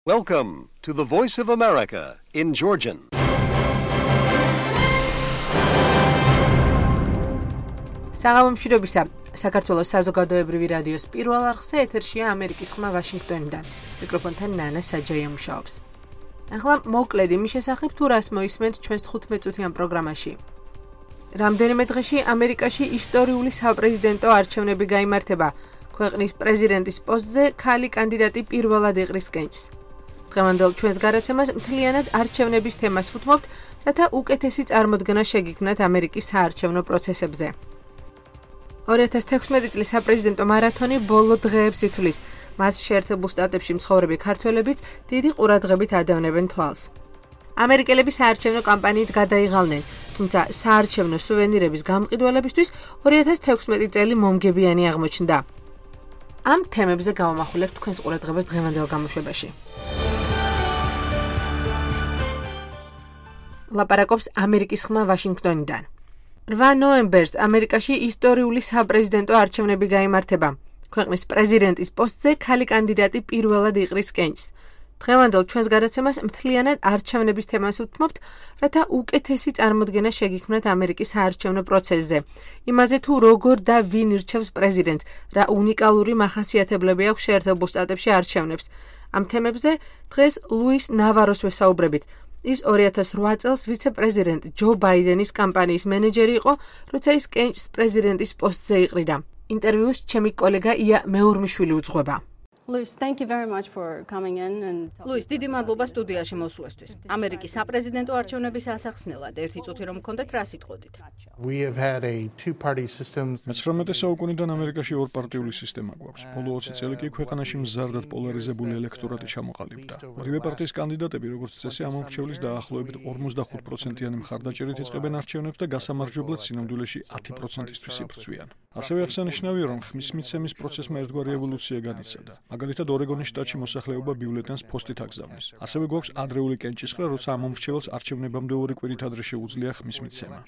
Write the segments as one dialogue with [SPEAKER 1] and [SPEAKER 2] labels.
[SPEAKER 1] Welcome to the Voice of America in Georgian.
[SPEAKER 2] საღამომშვიდობისა, საქართველოს საზოგადოებრივი რადიოს პირველ არხზე ეთერშია ამერიკის ხმა ვაშინგტონიდან. მიკროფონთან ნანა საჯაია მუშაობს. ახლა მოკლედ იმის შესახებ თუ რას მოისმენთ ჩვენს 15 წუთიან პროგრამაში. რამდენიმე დღეში ამერიკაში ისტორიული საპრეზიდენტო არჩევნები გაიმართება. ქვეყნის პრეზიდენტის პოსტზე ქალი კანდიდატი პირველად იყრის კენჭს. დღევანდელ ჩვენს გარაცემას მთლიანად არჩევნების თემას ვუთმობთ, რათა უკეთესი წარმოდგენა შეგიქმნათ ამერიკის საარჩევნო პროცესებზე. 2016 წლის საპრეზიდენტო მარათონი ბოლო დღეებს ითვლის. მას შეერთებულ შტატებში მცხოვრები ქართველებიც დიდი ყურადღებით ადევნებენ თვალს. ამერიკელები საარჩევნო კამპანიით გადაიღალნენ, თუმცა საარჩევნო სუვენირების გამყიდველებისთვის 2016 წელი მომგებიანი აღმოჩნდა. ამ თემებზე გავამახვილებთ თქვენს ყურადღებას დღევანდელ გამოშვებაში. ლაპარაკობს ამერიკის ხმა ვაშინგტონიდან. 8 ნოემბერს ამერიკაში ისტორიული საპრეზიდენტო არჩევნები გაიმართება. ქვეყნის პრეზიდენტის პოსტზე ქალი კანდიდატი პირველად იყრის კენჭს. დღევანდელ ჩვენს გადაცემას მთლიანად არჩევნების თემას ვუთმობთ, რათა უკეთესი წარმოდგენა შეგიქმნათ ამერიკის საარჩევნო პროცესზე. იმაზე თუ როგორ და ვინ ირჩევს პრეზიდენტს, რა უნიკალური მახასიათებლები აქვს შეერთებულ შტატებში არჩევნებს. ამ თემებზე დღეს ლუის ნავაროს ვესაუბრებით. ის 2008 წელს ვიცე-პრეზიდენტ ჯო ბაიდენის კამპანიის მენეჯერი იყო, როცა ის კენჭს პრეზიდენტის პოსტზე იყრიდა. ინტერვიუს ჩემი კოლეგა ია მეურმიშვილი უძღვება.
[SPEAKER 3] Louis, thank you very much for coming in and
[SPEAKER 4] Louis, დიდი მადლობა სტუდიაში მოსვლისთვის. ამერიკის საპრეზიდენტო არჩევნების ასახსნელად ერთი წუთი რომ გქონდეთ, რა სიტყვოდით?
[SPEAKER 5] We have had a two-party system.
[SPEAKER 6] მე-19 საუკუნიდან ამერიკაში ორპარტიული სისტემა გვაქვს. ბოლო 20 წელი კი ქვეყანაში მზარდად პოლარიზებული ელექტორატი ჩამოყალიბდა. ორივე პარტიის კანდიდატები, როგორც წესი, ამომრჩევლის დაახლოებით 45%-იანი მხარდაჭერით იწყებენ არჩევნებს და გასამარჯვებლად სინამდვილეში 10%-ისთვის იბრძვიან. ასევე აღსანიშნავია, რომ ხმის მიცემის პროცესმა ერთგვარი ევოლუცია განიცადა. მაგალითად, ორეგონის შტატში მოსახლეობა ბიულეტენს ფოსტით აგზავნის. ასევე გვაქვს ადრეული კენჭისყრა, როცა ამომრჩეველს არჩევნებამდე 2 კვირით ადრე შეუძლია ხმის მიცემა.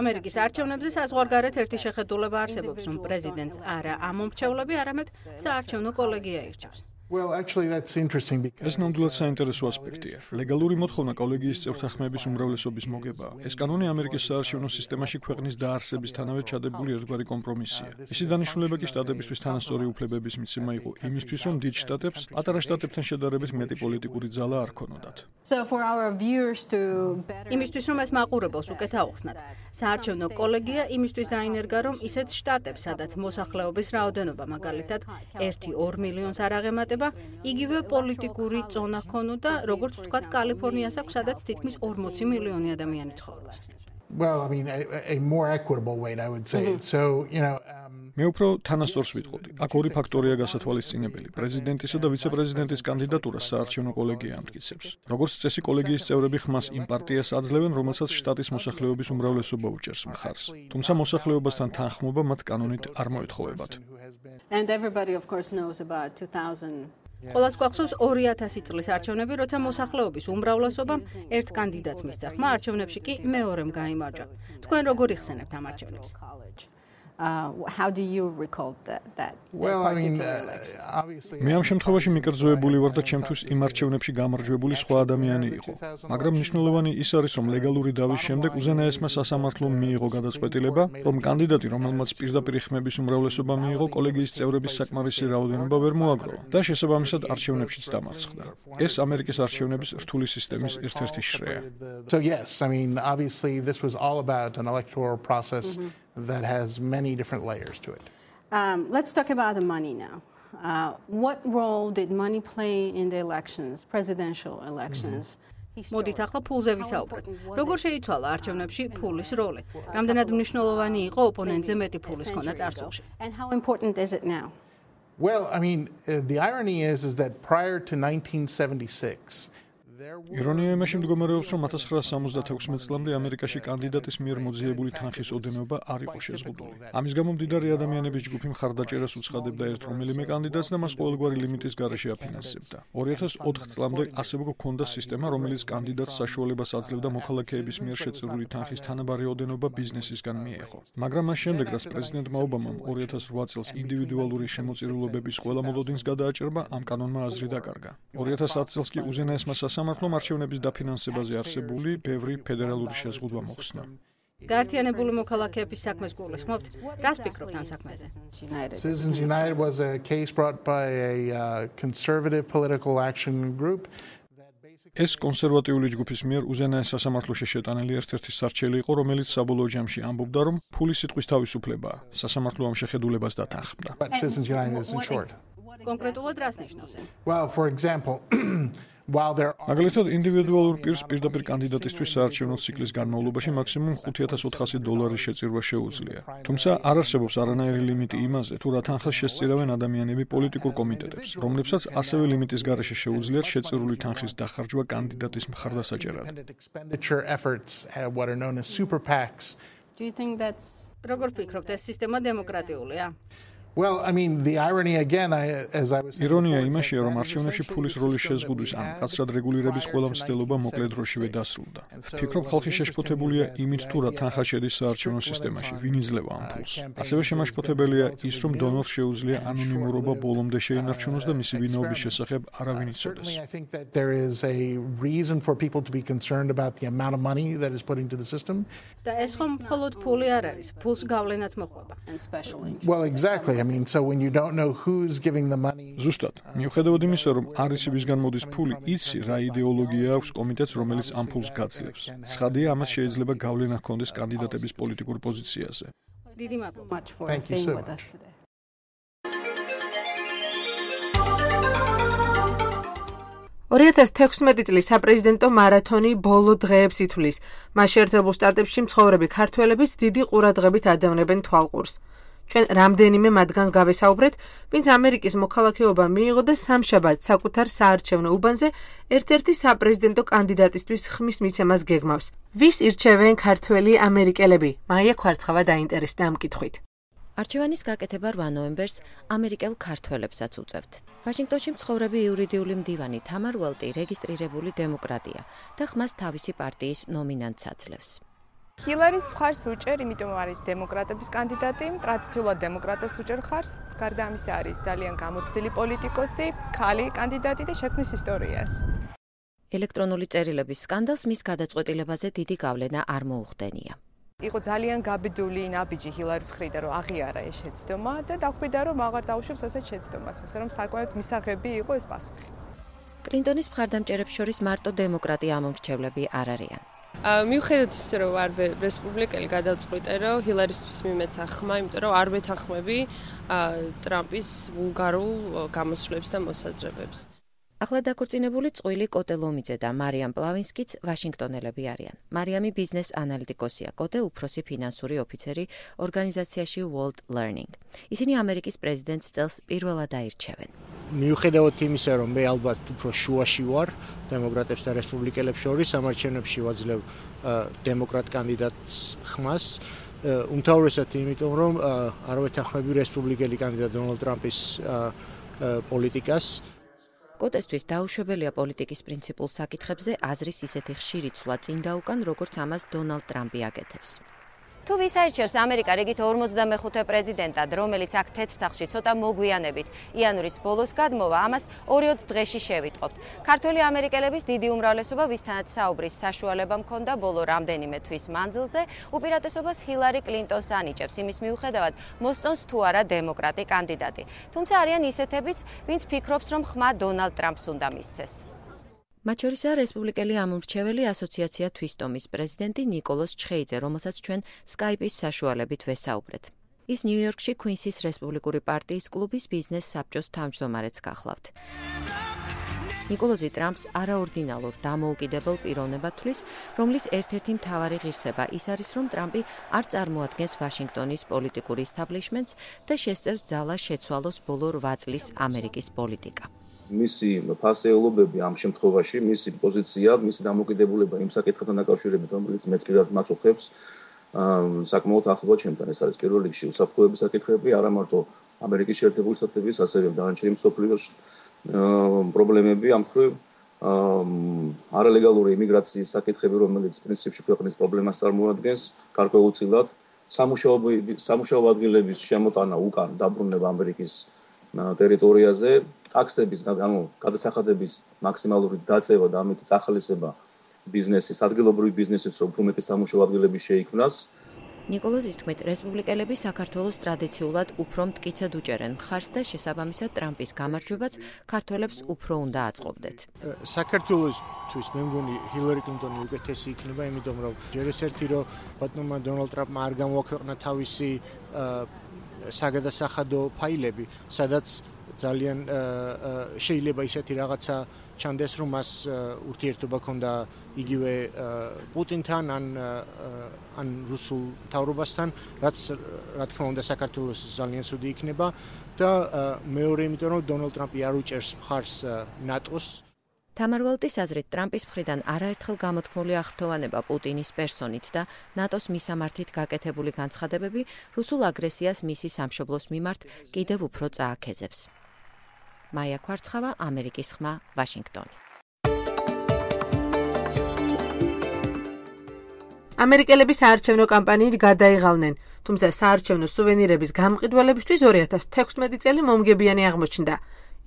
[SPEAKER 4] ამერიკის არჩევნებზე საზღვარგარეთ ერთი შეხედულება არსებობს, რომ პრეზიდენტს არა ამომრჩევლები, არამედ საარჩევნო კოლეგია ირჩევს.
[SPEAKER 5] Well, actually, that's interesting because
[SPEAKER 6] ეს ნამდვილად საინტერესო ასპექტია. ლეგალური მოთხოვნა კოლეგიის წევრთა ხმების უმრავლესობის მოგებაა. ეს კანონი ამერიკის საარჩევნო სისტემაში ქვეყნის დაარსებისთანავე ჩადებული ერთგვარი კომპრომისია. ისი დანიშნულება კი შტატებისთვის თანასწორი უფლებების მიცემა იყო იმისთვის, რომ დიდ შტატებს პატარა შტატებთან შედარებით მეტი პოლიტიკური ძალა არ ქონოდათ.
[SPEAKER 3] so for our viewers to better
[SPEAKER 4] იმისთვის, რომ ეს მაყურებელს უკეთ აუხსნათ, საარჩევნო კოლეგია იმისთვის დაინერგა, რომ ისეთ შტატებს, სადაც მოსახლეობის რაოდენობა მაგალითად 1-2 მილიონს არ აღემატება, იგივე პოლიტიკური ზონა ქონოდა, როგორც ვთქვათ, კალიფორნიას აქვს, სადაც თითქმის 40 მილიონი ადამიანი ცხოვრობს.
[SPEAKER 5] well, I mean, a more equitable way, I would say. So,
[SPEAKER 6] მე უფრო თანასწორს ვიტყოდი. აქ ორი ფაქტორია გასათვალისწინებელი. პრეზიდენტისა და ვიცე-პრეზიდენტის კანდიდატურას საარჩევნო კოლეგია ამტკიცებს. როგორც წესი, კოლეგიის წევრები ხმას იმ პარტიას აძლევენ, რომელსაც შტატის მოსახლეობის უმრავლესობა უჭერს მხარს. თუმცა მოსახლეობასთან თანხმობა მათ კანონით არ მოეთხოვებათ.
[SPEAKER 3] and everybody of course knows about 2000
[SPEAKER 4] ყველას გვახსოვს 2000 წლის არჩევნები, როცა მოსახლეობის უმრავლესობამ ერთ კანდიდატს მისცა ხმა, არჩევნებში კი მეორემ გაიმარჯვა. თქვენ როგორ იხსენებთ ამ არჩევნებს?
[SPEAKER 3] how do you recall that
[SPEAKER 5] well, I mean, obviously
[SPEAKER 6] მე ამ შემთხვევაში მიკერძოებული ვარ და ჩემთვის იმ არჩევნებში გამარჯვებული სხვა ადამიანი იყო. მაგრამ მნიშვნელოვანი ის არის, რომ ლეგალური დავის შემდეგ უზენაესმა სასამართლომ მიიღო გადაწყვეტილება, რომ კანდიდატი, რომელმაც პირდაპირ ხმების უმრავლესობა მიიღო, კოლეგიის წევრების საკმარისი რაოდენობა ვერ მოაგროვა და შესაბამისად არჩევნებშიც დამარცხდა. ეს ამერიკის არჩევნების რთული სისტემის ერთ-ერთი შრეა.
[SPEAKER 5] so yes, I mean, obviously this was all about an electoral process that has many different layers to it.
[SPEAKER 3] let's talk about the money now. What role did money play in the elections, presidential elections?
[SPEAKER 4] მოდით ახლა ფულზე ვისაუბროთ. როგორ შეიცვალა არჩევნებში ფულის როლი? რამდენად მნიშვნელოვანი იყო ოპონენტზე მეტი ფულის ქონა წარსულში?
[SPEAKER 3] and how important is it now?
[SPEAKER 5] Well, I mean, the irony is that prior to 1976
[SPEAKER 6] ირონია იმაში მდგომარეობს, რომ 1976 წლამდე ამერიკაში კანდიდატის მიერ მოძიებული თანხის ოდენობა არ იყო შეზღუდული. ამის გამო მდიდარი ადამიანების ჯგუფი მხარდაჭერას უცხადებდა ერთ რომელიმე კანდიდატს და მას ყოველგვარი ლიმიტის გარეშე აფინანსებდა. 2004 წლამდე ასევე გვქონდა სისტემა, რომელიც კანდიდატს საშუალებას აძლევდა მოქალაქეების მიერ შეწირული თანხის თანაბარი ოდენობა ბიზნესისგან მიეღო. მაგრამ მას შემდეგ, რაც პრეზიდენტმა ობამამ 2008 წელს ინდივიდუალური შემოწირულობების ყველა მოლოდინს გადააჭრა, ამ კანონმა აზრი დაკარგა. 2010 წელს კი უზენაესმა სასამართლომ არჩევნების დაფინანსებაზე არსებული ბევრი ფედერალური შეზღუდვა მოხსნა.
[SPEAKER 4] გაერთიანებული მოქალაქეების საქმეს გულისხმობთ? რას ფიქრობთ ამ საქმეზე?
[SPEAKER 5] Citizens United was a case brought by a conservative political action group.
[SPEAKER 6] ეს კონსერვატიული ჯგუფის მიერ უზენაეს სასამართლოში შეტანილი ერთ-ერთი სარჩელი იყო, რომელიც საბოლოო ჯამში ამბობდა, რომ ფულის სიტყვის თავისუფლებაა. სასამართლო ამ შეხედულებას დათანხმდა.
[SPEAKER 5] But Citizens United isn't short.
[SPEAKER 4] კონკრეტულად რას ნიშნავს ეს?
[SPEAKER 5] Well, for example, while there are
[SPEAKER 6] მაგალითად, ინდივიდუალურ პირს პირდაპირ კანდიდატისთვის საარჩევნო ციკლის განმავლობაში მაქსიმუმ $5,400 შეწირვა შეუძლია. თუმცა არ არსებობს არანაირი ლიმიტი იმაზე, თუ რა თანხას შესწირავენ ადამიანები პოლიტიკურ კომიტეტებს, რომლებსაც ასევე ლიმიტის გარეშე შეუძლიათ შეწირული თანხის დახარჯვა კანდიდატის მხარდასაჭერად.
[SPEAKER 5] expenditure efforts, what are known as super PACs.
[SPEAKER 3] Do you think that's
[SPEAKER 4] როგორ ფიქრობთ, ეს სისტემა დემოკრატიულია?
[SPEAKER 5] Well, I mean, the irony again, as I was saying,
[SPEAKER 6] ირონია იმაშია, რომ არჩევნებში ფულის როლის შეზღუდვის ან კაცრად რეგულირების ყველა მცდელობა მოკლე დროშივე დასრულდა. ვფიქრობ, ხალხი შეშფოთებულია იმით, თუ რა თანხა შედის საარჩევნო სისტემაში, ვინ იძლევა ამ ფულს. ასევე შემაშფოთებელია ის, რომ დონორს შეუძლია ანონიმურობა ბოლომდე შეინარჩუნოს და მისი ვინაობის შესახებ არავინ იცოდეს.
[SPEAKER 5] I think that there is a reason for people to be concerned about the amount of money that is put into the system.
[SPEAKER 4] და ეს ხომ მხოლოდ ფული არ არის, ფულს გავლენაც მოხდება.
[SPEAKER 3] and special interest?
[SPEAKER 5] Well, exactly. I mean, so when you don't know who's giving the money,
[SPEAKER 6] ზუსტად, მიუხედავად იმისა, რომ არ იცი ვისგან მოდის ფული, იცი რა იდეოლოგია აქვს კომიტეტს, რომელიც ამ ფულს გაძლევს. ცხადია, ამას შეიძლება გავლენა ჰქონდეს კანდიდატების პოლიტიკურ პოზიციაზე.
[SPEAKER 4] დიდი მადლობა.
[SPEAKER 3] Much for
[SPEAKER 5] Thank you
[SPEAKER 3] being
[SPEAKER 5] so
[SPEAKER 3] with
[SPEAKER 5] much.
[SPEAKER 3] us today.
[SPEAKER 2] $2016 წლის საპრეზიდენტო მარათონი ბოლო დღეებს ითვლის. მას შეერთებულ შტატებში მცხოვრები ქართველებიც დიდი ყურადღებით ადევნებენ თვალყურს. ჩვენ რამდენიმე მათგანს გავესაუბრეთ, ვინც ამერიკის მოქალაქეობა მიიღო და სამშაბათს საკუთარ საარჩევნო უბანზე ერთ-ერთი საპრეზიდენტო კანდიდატისთვის ხმის მიცემას გეგმავს. ვის ირჩევენ ქართველი ამერიკელები? მაია ქვარცხავა დაინტერესდა ამ კითხვით.
[SPEAKER 7] არჩევანის გაკეთება 8 ნოემბერს ამერიკელ ქართველებსაც უწევთ. ვაშინგტონში მცხოვრები იურიდიული მდივანი თამარ უელტი რეგისტრირებული დემოკრატია და ხმას თავისი პარტიის ნომინანტს აძლევს.
[SPEAKER 8] ჰილარის მხარს უჭერ, იმიტომ არის დემოკრატების კანდიდატი, ტრადიციულად დემოკრატებს უჭერ მხარს. გარდა ამისა არის ძალიან გამოცდილი პოლიტიკოსი, ქალი კანდიდატი და შექმნის ისტორიას.
[SPEAKER 7] ელექტრონული წერილების სკანდალს მის გადაწყვეტილებაზე დიდი გავლენა არ მოუხდენია.
[SPEAKER 8] იყო ძალიან გაბედული ნაბიჯი ჰილარის მხრიდან, რომ აღიარა ეს შეცდომა და დახვიდა, რომ აღარ დაუშვებს ასეთ შეცდომას, ასე რომ საკმაოდ მისაღები იყო ეს პასუხი.
[SPEAKER 7] კლინტონის მხარდამჭერებს შორის მარტო დემოკრატი ამომრჩევლები არ არიან.
[SPEAKER 9] მიუხედავად ისე, რომ არ რესპუბლიკელი გადავწყვიტე, რომ ჰილარისთვის მიმეცა ხმა, იმიტომ რომ არ ვეთანხმები ტრამპის ვულგარულ გამოსვლებს და მოსაზრებებს.
[SPEAKER 7] ახლა დაქორწინებული წყვილი კოტე ლომიძე და მარიამ პლავინსკიც ვაშინგტონელები არიან. მარიამი ბიზნეს ანალიტიკოსია, კოტე უფროსი ფინანსური ოფიცერი ორგანიზაციაში World Learning. ისინი ამერიკის პრეზიდენტს წელს პირველად აირჩევენ.
[SPEAKER 10] მიუხედავად იმისა, რომ მე ალბათ უფრო შუაში ვარ დემოკრატებს და რესპუბლიკელებს შორის, ამ არჩევნებში ვაძლევ დემოკრატ კანდიდატს ხმას. უმთავრესად იმიტომ, რომ არ ვეთანხმები რესპუბლიკელი კანდიდატ დონალდ ტრამპის პოლიტიკას.
[SPEAKER 7] კოტესთვის დაუშვებელია პოლიტიკის პრინციპულ საკითხებზე აზრის ისეთი ხშირი ცვლა წინ და უკან, როგორც ამას დონალდ ტრამპი აკეთებს.
[SPEAKER 11] თუ ვის აირჩევს ამერიკა რიგით 45 პრეზიდენტად, რომელიც აქ თეთრ სახლში ცოტა მოგვიანებით იანვრის ბოლოს გადმოვა, ამას 2 დღეში შევიტყობთ. ქართველი ამერიკელების დიდი უმრავლესობა, ვისთანაც საუბრის საშუალება მქონდა ბოლო რამდენიმე თვის მანძილზე, უპირატესობას ჰილარი კლინტონს ანიჭებს იმის მიუხედავად, მოსწონს თუ არა დემოკრატი კანდიდატი. თუმცა არიან ისეთებიც, ვინც ფიქრობს, რომ ხმა დონალდ ტრამპს უნდა მისცეს.
[SPEAKER 7] მათ შორისაა რესპუბლიკელი ამომრჩეველი ასოციაცია თვისტომის პრეზიდენტი ნიკოლოს ჩხეიძე, რომელსაც ჩვენ სკაიპის საშუალებით ვესაუბრეთ. ის ნიუ-იორკში κουინსის რესპუბლიკური პარტიის კლუბის ბიზნეს საბჭოს თავმჯდომარეც გახლავთ. ნიკოლოზი ტრამპს არაორდინალურ დამოუკიდებელ პიროვნებად თვლის, რომლის ერთ-ერთი მთავარი ღირსება ის არის, რომ ტრამპი არ წარმოადგენს ვაშინგტონის პოლიტიკურ ისტაბლიშმენტს და შესწევს ძალას შეცვალოს ბოლო 8 წლის ამერიკის პოლიტიკა.
[SPEAKER 12] მისი ფასეულობები ამ შემთხვევაში, მისი პოზიცია, მისი დამოკიდებულება იმ საკითხთან დაკავშირებით, რომელიც მეც კიდევ მაწუხებს საკმაოდ ახლო ჩემთან. ეს არის პირველ რიგში უსაფრთხოების საკითხები, არა მარტო ამერიკის შეერთებული შტატების, ასევე დანარჩენი მსოფლიოს პრობლემები, ამ მხრივ არალეგალური იმიგრაციის საკითხები, რომელიც პრინციპში ქვეყნის პრობლემას წარმოადგენს, გარკვეულწილად სამუშაო ადგილების შემოტანა უკან დაბრუნება ამერიკის ტერიტორიაზე, ტაქსების, გადასახადების მაქსიმალური დაწევა და ამით წახალისება ბიზნესის, ადგილობრივი ბიზნესის, რომ უფრო მეტი სამუშაო ადგილები შეიქმნას.
[SPEAKER 7] ნიკოლოზის თქმით, რესპუბლიკელები საქართველოს ტრადიციულად უფრო მტკიცედ უჭერენ მხარს და შესაბამისად ტრამპის გამარჯვებაც ქართველებს უფრო უნდა აწყობდეთ.
[SPEAKER 10] საქართველოსთვის მე მგონი ჰილარი კლინტონი უკეთესი იქნება, იმიტომ რომ ჯერ ეს ერთი რომ ბატონმა დონალდ ტრამპმა არ გამოაქვეყნა თავისი საგადასახადო ფაილები, სადაც ძალიან შეიძლება ისეთი რაღაცა ჩანდეს, რომ მას ურთიერთობა ჰქონდა იგივე პუტინთან ან რუსულ მთავრობასთან, რაც რა თქმა უნდა საქართველოს ძალიან ცუდი იქნება და მეორე იმიტომ რომ დონალდ ტრამპი არ უჭერს მხარს ნატოს.
[SPEAKER 7] თამარ ვალტის აზრით, ტრამპის მხრიდან არაერთხელ გამოთქმული აღფრთოვანება პუტინის პერსონით და ნატოს მისამართით გაკეთებული განცხადებები რუსულ აგრესიას მისი სამშობლოს მიმართ კიდევ უფრო წააქეზებს. მაია ქვარცხავა, ამერიკის ხმა, ვაშინგტონი.
[SPEAKER 2] ამერიკელები საარჩევნო კამპანიით გადაიღალნენ, თუმცა საარჩევნო სუვენირების გამყიდველებისთვის 2016 წელი მომგებიანი აღმოჩნდა.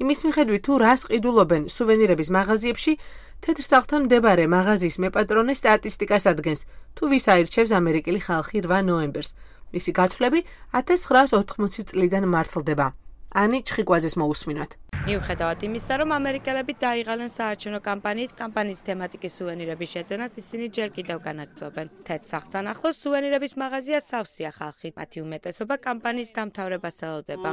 [SPEAKER 2] იმის მიხედვით, თუ რას ყიდულობენ სუვენირების მაღაზიებში, თეთრსაღთან მდებარე მაღაზიის მეპატრონე სტატისტიკას ადგენს, თუ ვის აირჩევს ამერიკელი ხალხი 8 ნოემბერს. მისი გათვლები 1980 წლიდან მართლდება. ანი ჩხიკვაძეს მოусმინოთ.
[SPEAKER 13] მიუხედავად იმისა, რომ ამერიკელები დაიღალნენ საარჩევნო კამპანიით, კამპანიის თემატიკის სუვენირების შეძენას ისინი ჯერ კიდევ განაგრძობენ. თეთრსაღთან ახლოს სუვენირების მაღაზია სავსეა ხალხით. მათი უმეტესობა კამპანიის დამთავრებას ელოდება.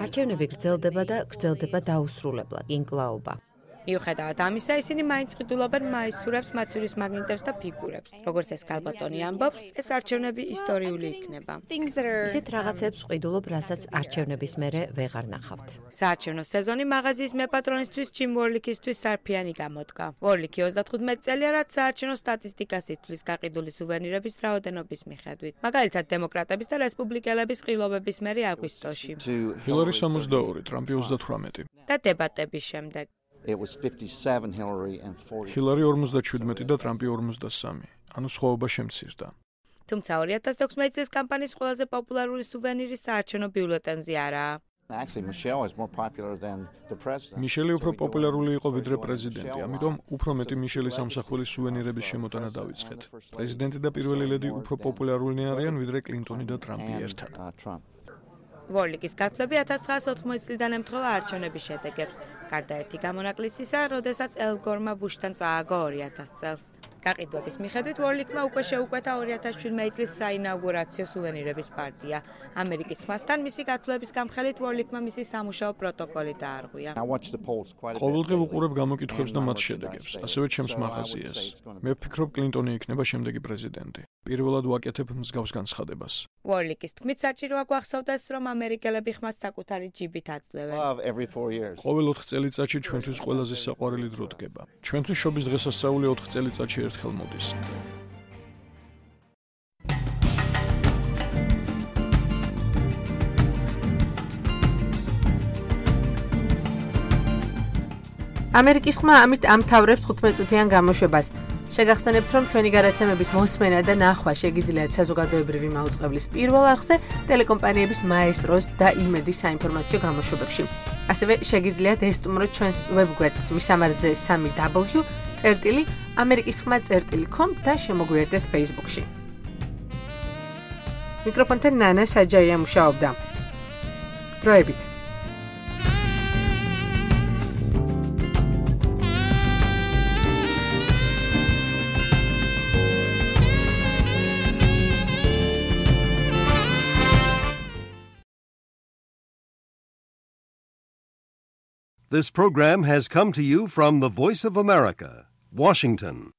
[SPEAKER 7] არჩევნები გრძელდება და გრძელდება დაუსრულებლად, ინკლაობა.
[SPEAKER 13] მიუხედავად ამისა, ისინი მაინც ყიდულობენ მაისურებს, მაცივრის მაგნიტებს და ფიგურებს. როგორც ეს ქალბატონი ამბობს, ეს არჩევნები ისტორიული იქნება.
[SPEAKER 7] ისეთ რაღაცებს ყიდულობ, რასაც არჩევნების მერე ვეღარ ნახავთ.
[SPEAKER 13] საარჩევნო სეზონი მაღაზიის მეპატრონისთვის ჯიმ ვორლიკისთვის სარფიანი გამოდგა. ვორლიკი 35 წელია, რაც საარჩევნო სტატისტიკას ითვლის გაყიდული სუვენირების რაოდენობის მიხედვით. მაგალითად, დემოკრატების და რესპუბლიკელების ყრილობების მერე აგვისტოში.
[SPEAKER 6] ჰილარი 62, ტრამპი 38.
[SPEAKER 13] და დებატების შემდეგ.
[SPEAKER 6] ჰილარი 47 და ტრამპი 43. ანუ სხვაობა შემცირდა.
[SPEAKER 13] თუმცა 2016 წლის კამპანიის ყველაზე პოპულარული სუვენირი საარჩევნო ბიულეტენზე არაა.
[SPEAKER 6] მიშელი უფრო პოპულარული იყო ვიდრე პრეზიდენტი, ამიტომ უფრო მეტი მიშელის ამსახველის სუვენირების შემოტანა დავიწყეთ. პრეზიდენტი და პირველი ლედი უფრო პოპულარულნი არიან ვიდრე კლინტონი და ტრამპი ერთად.
[SPEAKER 13] ვორლიკის გათვლები 1980 წლიდან ემთხვევა არჩევნების შედეგებს. გარდა ერთი გამონაკლისისა, როდესაც ელ გორმა ბუშთან წააგო 2000 წელს. გაყიდვების მიხედვით ვორლიკმა უკვე შეუკვეთა 2017 წლის საინაუგურაციო სუვენირების პარტია. ამერიკის ხმასთან მისი გათვლების გამხელით ვორლიკმა მისი სამუშაო პროტოკოლი დაარღვია.
[SPEAKER 6] ყოველდღე ვუყურებ გამოკითხვებს და მათ შედეგებს, ასევე ჩემს მაღაზიას. მე ვფიქრობ, კლინტონი იქნება შემდეგი პრეზიდენტი. პირველად ვაკეთებ მსგავს განცხადებას.
[SPEAKER 13] ვორლიკის თქმით, საჭიროა გვახსოვდეს, რომ ამერიკელები ხმას საკუთარი ჯიბით აძლევენ.
[SPEAKER 6] ყოველ 4 წელიწადში ჩვენთვის ყველაზე საყვარელი დრო დგება. ჩვენთვის შობის დღესასწაული 4 წელიწადში ერთხელ მოდის.
[SPEAKER 2] ამერიკის ხმა ამით ამთავრებს 15 წუთიან გამოშვებას. შეგახსენებთ, რომ ჩვენი გადაცემების მოსმენა და ნახვა შეგიძლიათ საზოგადოებრივი მაუწყებლის პირველ არხზე, ტელეკომპანიების მაესტროს და იმედის საინფორმაციო გამოშვებებში. ასევე შეგიძლიათ ესტუმროთ ჩვენს ვებგვერდს მისამართზე 3w.amerikiskhma.com და შემოგვიერთდეთ Facebook-ში. მიკროფონთან ნანა საჯაია მუშაობდა. დროებით.
[SPEAKER 1] This program has come to you from the Voice of America, Washington.